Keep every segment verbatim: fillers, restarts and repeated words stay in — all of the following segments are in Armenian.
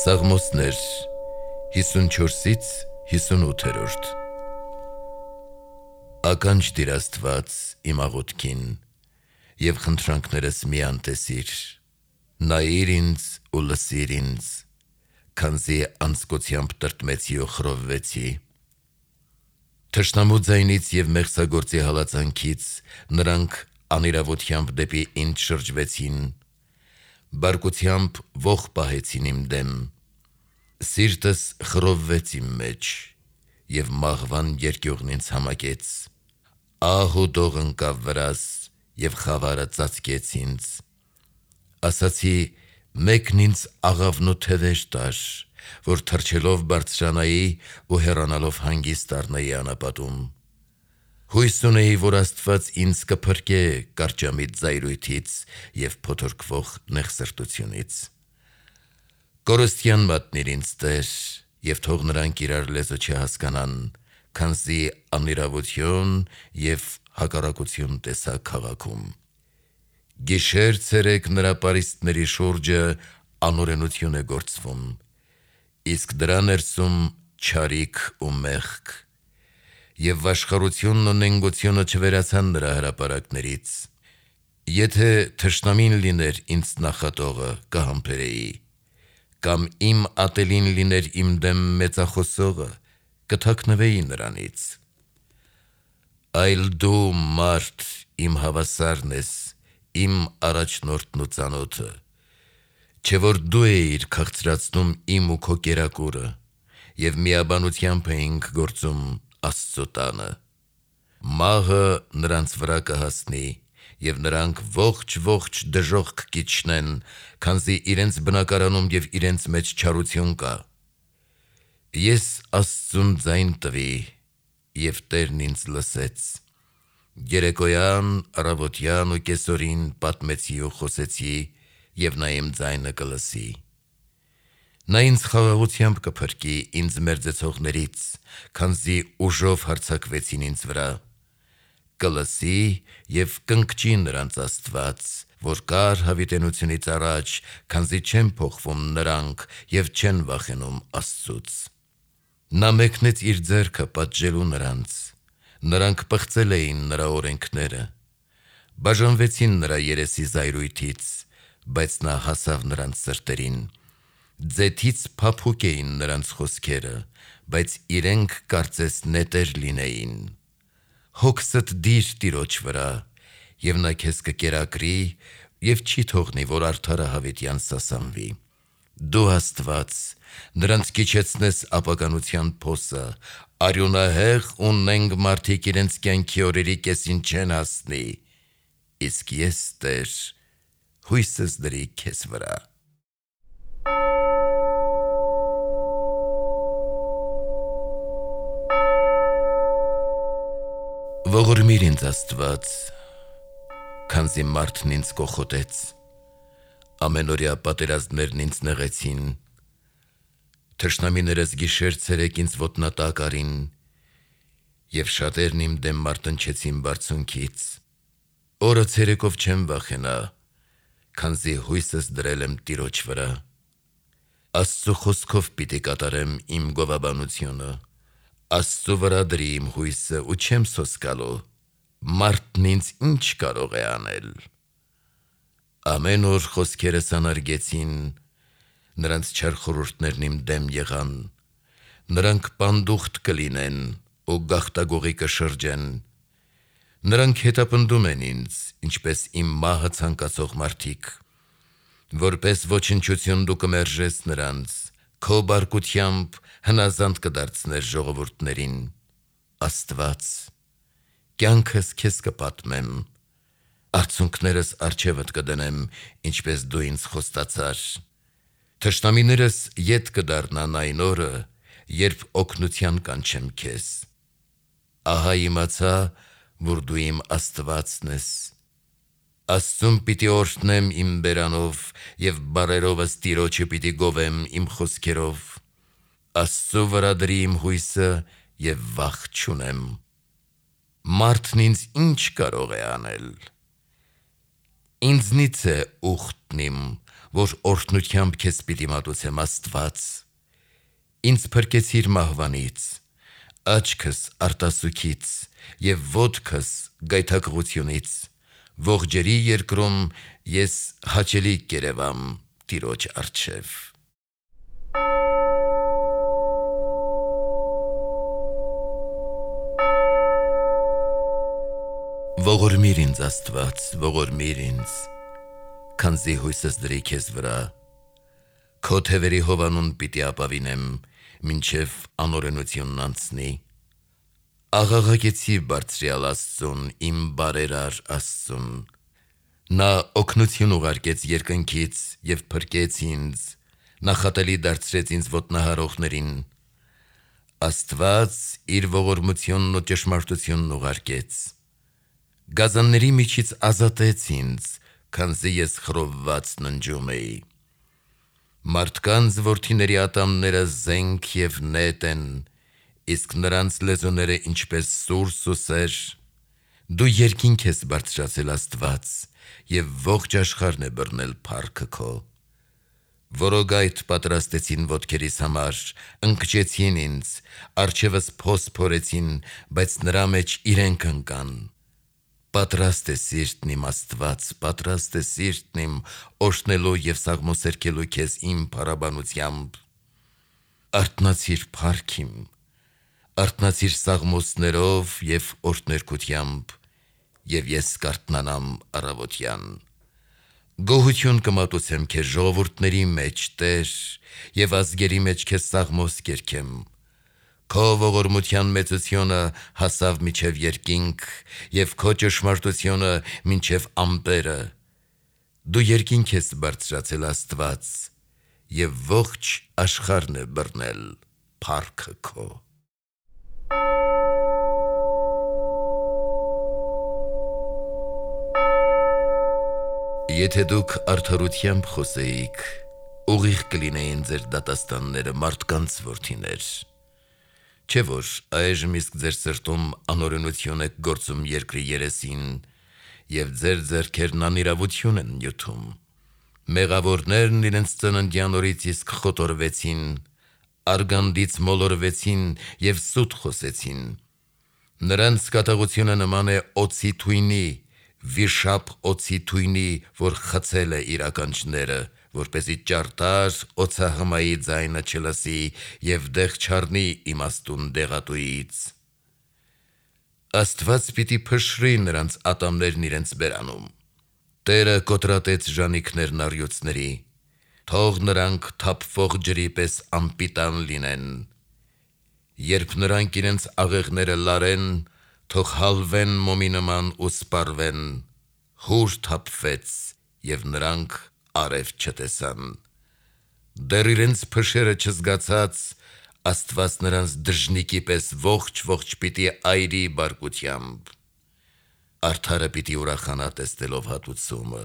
Սաղմոսներ հիսունչորսից հիսունութերորդ Ականջ դիր Աստված իմ աղոթքին և խնդրանքներս մի անտեսիր, նայիր ինձ ու լսիր ինձ, քանզի անձկությամբ տրտմեցի ու խռովվեցի։ Թշնամու ձայնից և մեղսագործի հալածանքից նրանք անիրավությամբ դեպի ինձ շրջվեցին, բարկությամբ ոխ պահեցին իմ դեմ, սիրտս խռովվեց իմ մեջ, և մահվան երկյուղն ինձ համակեց, ահ ու դող ընկավ վրաս, և խավարը ծածկեց ինձ, ասացի մեկն ինձ աղավնու թևեր տար, որ թռչելով բարձրանայի ու հեռանալով հանգիստ առնեի անապատում, հույս ունեի, որ Աստված ինձ կփրկե կարճամիտ զայրույթից և փոթորկվող նեղսրտությունից։ Կորստյան մատնիր ինձ Տեր, և թող նրանք իրար լեզու չհասկանան, քանզի անիրավություն և հակառակություն տեսա քաղաքում։ Գիշեր ցերեկ նրա պարիսպների շուրջը անօրենություն է գործվում, իսկ դրա ներսում չարիք ու մեղք, և վաշխառությունն ու նենգությունը չվերացան նրա հրապարակներից։ Եթե թշնամին լիներ ինձ նախատողը, կհամբերեի, կամ իմ ատելին լիներ իմ դեմ մեծախոսողը, կթաքնվեի նրանից։ Այլ դու մարդ իմ հավասարն ես, իմ առաջնորդն ու ծանոթը, չէ՞ որ դու էիր քաղցրացնում իմ ու քո կերակուրը, և միաբանությամբ էինք գործում Աստծու տանը։ Մահը նրանց վրա կհասնի, և նրանք ողջ-ողջ դժոխք կիջնեն, քանզի իրենց բնակարանում և իրենց մեջ չարություն կա։ Ես Աստծուն ձայն տվի, և Տերն ինձ լսեց, երեկոյան, առավոտյան ու կեսօրին պատմեցի ու խոսեցի, և նա իմ ձայնը կլսի։ Նա ինձ խաղաղությամբ կփրկի ինձ մերձեցողներից, քանզի ուժով հարձակվեցին ինձ վրա։ Կլսի և կընկճի նրանց Աստված, որ կար հավիտենությունից առաջ, քանզի չեն փոխվում նրանք և չեն վախենում Աստծուց։ Նա մեկնեց իր ձեռքը պատժելու նրանց, նրանք պղծել էին նրա օրենքները, բաժանվեցին նրա երեսի զայրույթից, բայց նա հասավ նրանց սրտերին։ Ձեթից փափուկ էին նրանց խոսքերը, բայց իրենք կարծես նետեր լինեին։ Հոգսդ դիր Տիրոջ վրա, և նա քեզ կկերակրի և չի թողնի, որ արդարը հավիտյան սասանվի։ Դու Աստված, նրանց կիջեցնես ապականության փոսը, արյունահեղ ու նենգ մարդիկ իրենց կյանքի օրերի կեսին չեն հասնի, իսկ ես, Տեր, հույսս դրի քեզ վրա։ Ողորմիր ինձ Աստված, քանզի մարդն ինձ կոխոտեց, ամենօրյա պատերազմներն ինձ նեղեցին, թշնամիներս գիշեր ցերեկ ինձ ոտնատակ արին, և շատերն իմ դեմ մարտնչեցին բարձունքից։ Օրը ցերեկով չեմ վախենա, քանզի հույսս դրել եմ Տիրոջ վրա։ Աստծու խոսքով պիտի կատարեմ իմ գովաբանությունը, Աստծու վրա դրի իմ հույսը ու չեմ սոսկալու, մարդն ինձ ինչ կարող է անել։ Ամեն օր խոսքերս անարգեցին, նրանց չար խորհուրդներն իմ դեմ եղան, նրանք պանդուխտ կլինեն ու գաղտագողի կշրջեն, նրանք հետապնդում են ինձ, ինչպես իմ մահը ցանկացող մարդիկ, որպես ոչնչություն դու կմերժես նրանց, քո բարկությամբ հնազանդ կդարձնես ժողովուրդներին։ Աստված, կյանքս քեզ կպատմեմ, արցունքներս առջևդ կդնեմ, ինչպես դու ինձ խոստացար։ Թշնամիներս ետ կդառնան այն օրը, երբ օգնության կանչեմ քեզ։ Ահա իմացա, որ դու իմ Աստվածն ես։ Աստծուն պիտի օրհնեմ իմ բերանով, և բառերովս Տիրոջը պիտի գովեմ իմ խոսքերով։ Աստծու վրա դրի իմ հույսը և վախ չունեմ։ Մարդն ինձ ինչ կարող է անել։ Ինձնից է ուխտն իմ, որ օրհնությամբ քեզ պիտի մատուցեմ Աստված։ Ինձ փրկեցիր մահվանից, աչքս արտասուքից և ոտքս գայթակղությունից, ողջերի երկրում ես հաճելի կերևամ Տիրոջ առջև։ Ողորմիր ինձ Աստված, ողորմիր ինձ, քանզի հույսս դրի քեզ վրա, քո թևերի հովանուն պիտի ապավինեմ, մինչև անօրենությունն անցնի։ Աղաղակեցի բարձրյալ Աստծուն, իմ բարերար Աստծուն, նա օգնություն ուղարկեց երկնքից և փրկեց ինձ, նախատելի դարձրեց ինձ ոտնահարողներին։ Աստված իր ողորմությունն ու ճշմարտությունն ուղարկեց, գազանների միջից ազատեց ինձ, քանզի ես խռովված ննջում էի։ Մարդկանց որդիների ատամները զենք և նետ են, իսկ նրանց լեզուները ինչպես սուրս ու սեր։ Դու երկինք ես բարձրացել Աստված, և ողջ աշխարհն է բռնել փառքը քո։ Որոգայթ պատրաստեցին ոտքերիս համար, ընկճեցին ինձ, առջևս փոս փորեցին, բայց նրա մեջ իրենք ընկան։ Պատրաստ է սիրտն իմ Աստված, պատրաստ է սիրտն իմ, օրհնելու և սաղմոսերկելու քեզ իմ փառաբանությամբ։ Արթնացիր փառք իմ, արթնացիր սաղմոսներով և օրհներգությամբ, և ես կարթնանամ առավոտյան։ Գոհություն կմատուցեմ քեզ ժողովուրդների մեջ, Տեր, և ազգերի մեջ քեզ սաղմոս կերգեմ։ Քո ողորմության մեծությունը հասավ մինչև երկինք, և քո ճշմարտությունը մինչև ամպերը։ Դու երկինք ես բարձրացել Աստված, և ողջ աշխարհն է բռնել փառքը քո։ Եթե դուք արդարությամբ խոսեիք, ուղիղ կլինեին ձեր դատաստանները, մարդկանց որդիներ։ Չէ՞ որ այժմ իսկ ձեր սրտում անօրենություն եք գործում երկրի երեսին, և ձեր ձեռքերն անիրավություն են նյութում։ Մեղավորներն իրենց ծննդյան օրից իսկ խոտորվեցին, արգանդից մոլորվեցին և սուտ խոսեցին։ Նրանց կատաղությունը նման է օձի թույնի, վիշապ օձի թույնի, որ խցել է իր ականջները, որպեսզի ճարտար օձահմայի ձայնը չլսի և դեղ չառնի իմաստուն դեղատուից։ Աստված պիտի փշրի նրանց ատամներն իրենց բերանում։ Տերը կոտրատեց ժանիքներն առյուծների, թող նրանք թափվող ջրի պես անպիտան լինեն։ Երբ նրանք իրենց աղեղները լարեն, թող հալվեն մոմի նման ու սպառվեն։ Հուր թափվեց, և նրանք արև չտեսան։ Դեռ իրենց փշերը չզգացած, Աստված նրանց դժնիկի պես ողջ-ողջ պիտի այրի բարկությամբ։ Արդարը պիտի ուրախանա տեսնելով հատուցումը,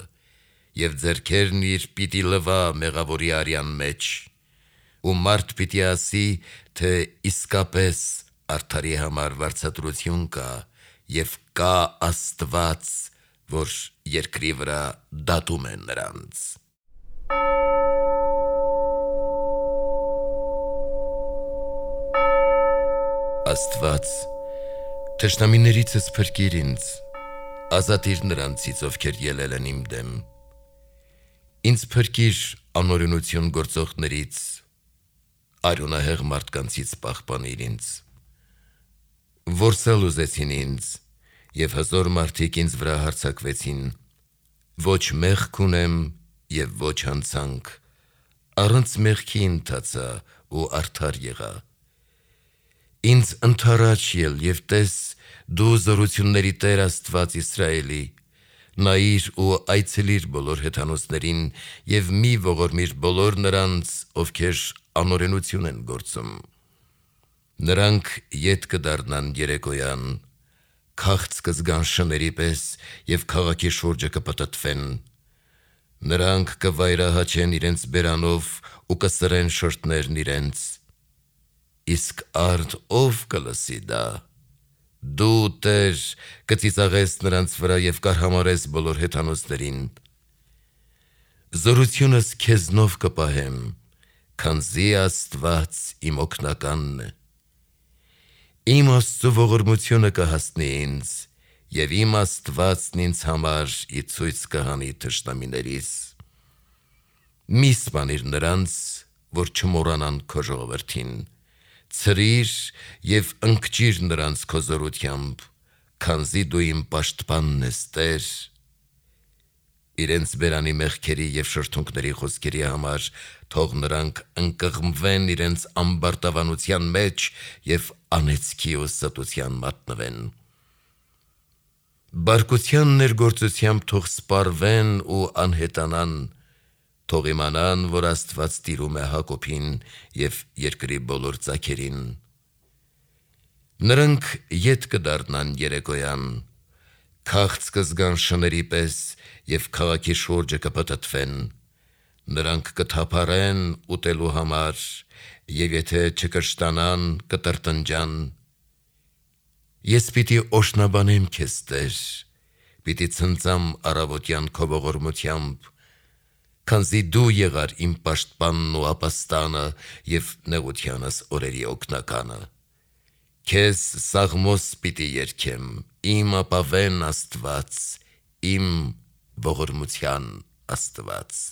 և ձեռքերն իր պիտի լվա մեղավորի արյան մեջ, ու մարդ պիտի ասի, թե իսկապես արդարի համար վարձատրություն կա, և կա Աստված, որ երկրի վրա դատում է նրանց։ Աստված, թշնամիներիցս փրկիր ինձ, ազատիր նրանցից, ովքեր ելել են իմ դեմ։ Ինձ փրկիր անօրենություն գործողներից, արյունահեղ մարդկանցից պահպանիր ինձ։ Որսալ ուզեցին ինձ, և հզոր մարդիկ ինձ վրա հարձակվեցին։ Ոչ մեղք ունեմ և ոչ հանցանք, առանց մեղքի ընթացա ու արդար եղա։ Ինձ ընդառաջ ել և տես, դու զորությունների Տեր Աստված Իսրայելի, նայիր ու այցելիր բոլոր հեթանոսներին և մի ողորմիր բոլոր նրանց, ովքեր անօրենություն են գործում։ Նրանք ետ կդառնան երեկոյան, քաղց կզգան շների պես և քաղաքի շուրջը կպտտվեն։ Նրանք կվայրահաչեն իրենց բերանով ու կսրեն շրթներն իրենց։ Իսկ արդ ով կլսի դա։ Դու, Տեր, կծիծաղես նրանց վրա և կարհամարես բոլոր հեթանոսներին։ Զորությունս քեզնով կպահեմ, քանզի Աստված իմ օգնականն է։ Իմ Աստծու ողորմությունը կհասնի ինձ, և իմ Աստվածն ինձ համար ի ցույց կհանի թշնամիներիս։ Մի սպանիր նրանց, որ չմոռանան քո ժողովրդին, ցրիր և ընկճիր նրանց քո զորությամբ, քանզի դու իմ պաշտպանն ես, Տեր։ Իրենց բերանի մեղքերի և շրթունքների խոսքերի համար թող նրանք ընկղմվեն իրենց ամբարտավանության մեջ և անեծքի ու ստության մատնվեն։ Բարկության ներգործությամբ թող սպառվեն ու անհետանան, թող իմանան, որ Աստված տիրում է Հակոբին և երկրի բոլոր ծագերին։ Նրանք ետ կդառնան երեկոյան, քաղց կզգան շների պես և քաղաքի շուրջը կպտտվեն, նրանք կթափառեն ուտելու համար և եթե չկշտանան, կտրտնջան։ Ես պիտի օրհնաբանեմ քեզ, Տեր, պիտի ցնծամ առավոտյան քո ողորմությամբ, քանզի դու եղար իմ պաշտպանն ու ապաստանը և նեղությանս օրերի օգնականը։ Քեզ սաղմոս պիտի երգեմ, իմ ապավեն Աստված, իմ ողորմության Աստված։